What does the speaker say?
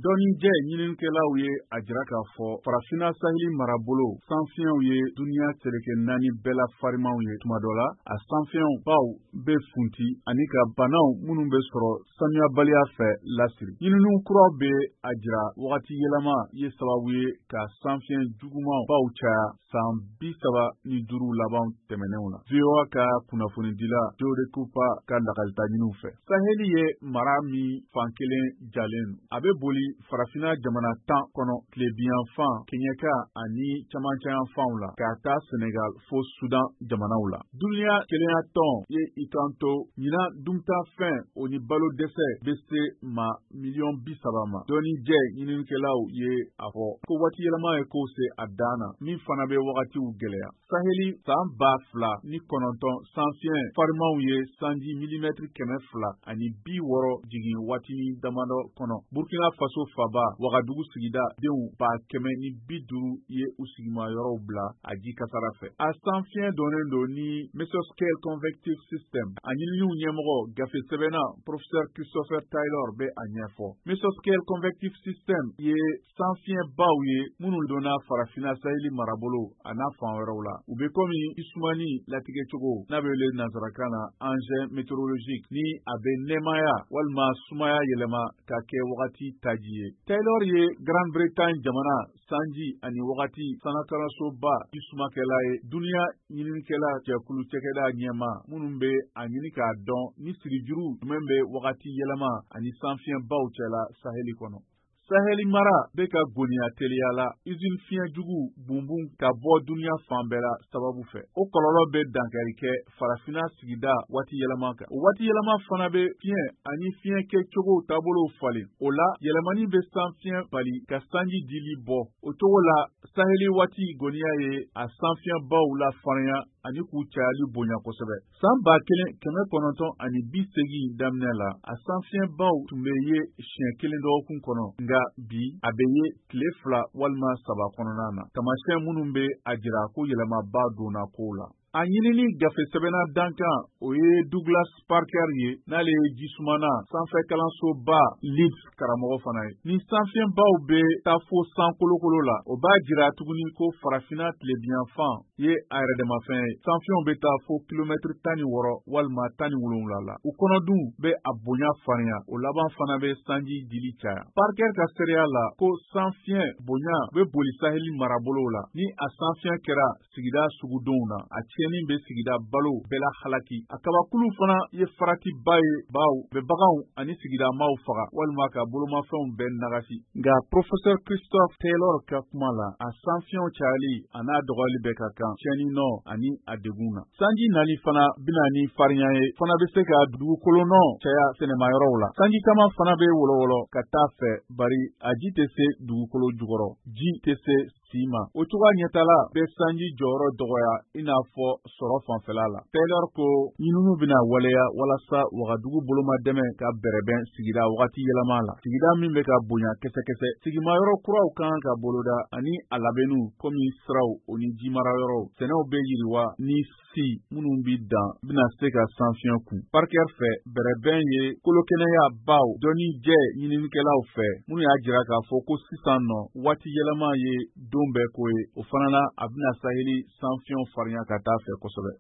Dɔnnijɛ ɲininikɛlaw ye a jira k'a fɔ Farafina saheli marabolo sanfiɲɛw ye duniya seleke naani bɛɛ la farimanw ye. Tuma dɔ la, a sanfiɲɛw baw bɛ funti ani ka banaw minnu bɛ sɔrɔ sanuyabaliya fɛ lasiri. Ɲininiw kuraw bɛ a jira wagati yɛlɛma ye sababu ye ka sanfiɲɛ jugumanw baw caya san 35 laban tɛmɛnenw na. VOA ka kunnafonidila Jode Cooper ka lakalita ɲiniw fɛ. Saheli ye mara min fan kelen jalen don. A bɛ boli Farafina jamana 10 kɔnɔ, tilebinyanfan, kɛɲɛka ani camancɛyanfanw la, k'a ta Senegal fo Sudan jamanaw la. Duniya kelenya tɔn ye i kanto ɲinan duntafɛn o ni balo dɛsɛ bɛ se ma miliyɔn 30 ma. Dɔnnijɛ ɲininikɛlaw ye a fɔ ko waati yɛlɛma ye kow se a dan na, min fana bɛ wagatiw gɛlɛya. Saheli san 2009 sanfiɲɛ farimanw ye sanji milimɛtiri 260 jigin waatinin damadɔ kɔnɔ. Burkina Faso faba Wagadugu sigida denw 150,000 ye u sigimayɔrɔw bila a ji kasara fɛ. A sanfiɲɛ dɔnnen don ni Mesoscale Convective System. A ɲininiw ɲɛmɔgɔ, gafe sɛbɛnna Professeur Christopher Taylor bɛ a ɲɛfɔ. Mesoscale Convective System ye sanfiɲɛbaw ye minnu donna Farafina saheli marabolo a n'a fan wɛrɛw la. U bɛ komi sumani latigɛcogo n'a bɛ wele nansarakan na engin météorologique, ni a bɛ nɛɛmaya walima sumaya yɛlɛma ka kɛ wagati taji ye. Taylor ye Grande-Bretagne jamana sanji ani wagati sanakalansoba jisumakɛla ye, duniya ɲininikɛla jɛkulu cɛkɛda ɲɛma minnu bɛ a ɲini k'a dɔn ni sirijuru jumɛn bɛ wagati yɛlɛma ani sanfiɲɛbaw cɛla saheli kɔnɔ. Saheli mara bɛ ka goniya teliya la usine fiɲɛ jugu bunbun ka bɔ duniya fan bɛɛ la sababu fɛ. O kɔlɔlɔ bɛ dankari kɛ Farafina sigida waati yɛlɛma kan. O waati yɛlɛma fana bɛ fiɲɛ ani fiɲɛ kɛcogo taabolow falen. O la, yɛlɛmani bɛ sanfiɲɛ bali ka sanji dili bɔ. O cogo la, saheli waati goniya ye a sanfiɲɛbaw la farinya ani k'u cayali bonya kosɛbɛ. San 1980 daminɛ la, a sanfiɲɛbaw tun bɛ ye siɲɛ kelen dɔgɔkun kɔnɔ, nka bi a bɛ ye tile 2 walima 3 kɔnɔna na. Taamasiyɛn minnu bɛ a jira ko yɛlɛmaba donna kow la. A ɲinini gafe sɛbɛnna dankan, o ye Douglas Parker ye, n'ale ye jisumana sanfɛ kalansoba Leeds karamɔgɔ fana ye. Ni sanfiɲɛbaw bɛ taa fo san kolokolo la, o b'a jira tuguni ko Farafina tilebinyanfan ye a yɛrɛdamafɛn ye. Sanfiɲɛw bɛ taa fo kilomɛtiri 16 walima 17 la. U kɔnɔdun bɛ a bonya farinya, o laban fana bɛ sanji dili caya. Parker ka seereya la ko sanfiɲɛ bonya bɛ boli saheli marabolow la. Ni a sanfiɲɛ kɛra sigida sugudenw na, a tiɲɛni bɛ sigida balo bɛɛ la halaki. A kabakulu fana ye faratiba ye, baw bɛ baganw ani sigidamaw faga walima ka bolomafɛnw bɛɛ nagasi. Nka Professeur Christophe Taylor ka kuma la, a sanfiɲɛw cayali a n'a dɔgɔyali bɛɛ ka kan tiɲɛni nɔ ani a degun na. Sanji nali fana bɛna ni farinya ye, fana bɛ se ka dugukolo nɔ caya sɛnɛmayɔrɔw la. Sanji caman fana bɛ wɔlɔwɔlɔ ka taa fɛ, bari a ji tɛ se dugukolo jukɔrɔ, ji tɛ se si ma. O cogoya ɲɛtala bɛ sanji jɔyɔrɔ dɔgɔya i n'a fɔ sɔrɔ fanfɛla la. Taylor ko ɲininiw bɛna waleya walasa Wagadugu bolomadɛmɛ ka bɛrɛbɛn sigida wagati yɛlɛma la, sigida min bɛ ka bonya kɛsɛkɛsɛ. Sigimayɔrɔ kuraw kan ka boloda ani a labɛnniw komi siraw o ni jimarayɔrɔw. Sɛnɛw bɛ yiriwa ni si minnu bi dan bɛna se ka sanfiɲɛ kun. Parker fɛ, bɛrɛbɛn ye kolokɛnɛya baw dɔnni jɛ ɲininikɛlaw fɛ minnu y'a jira k'a fɔ ko sisan nɔ waati yɛlɛma ye don bɛɛ ko ye. O fana na, a bɛna saheli sanfiɲɛw farinya ka taa fɛ kosɛbɛ.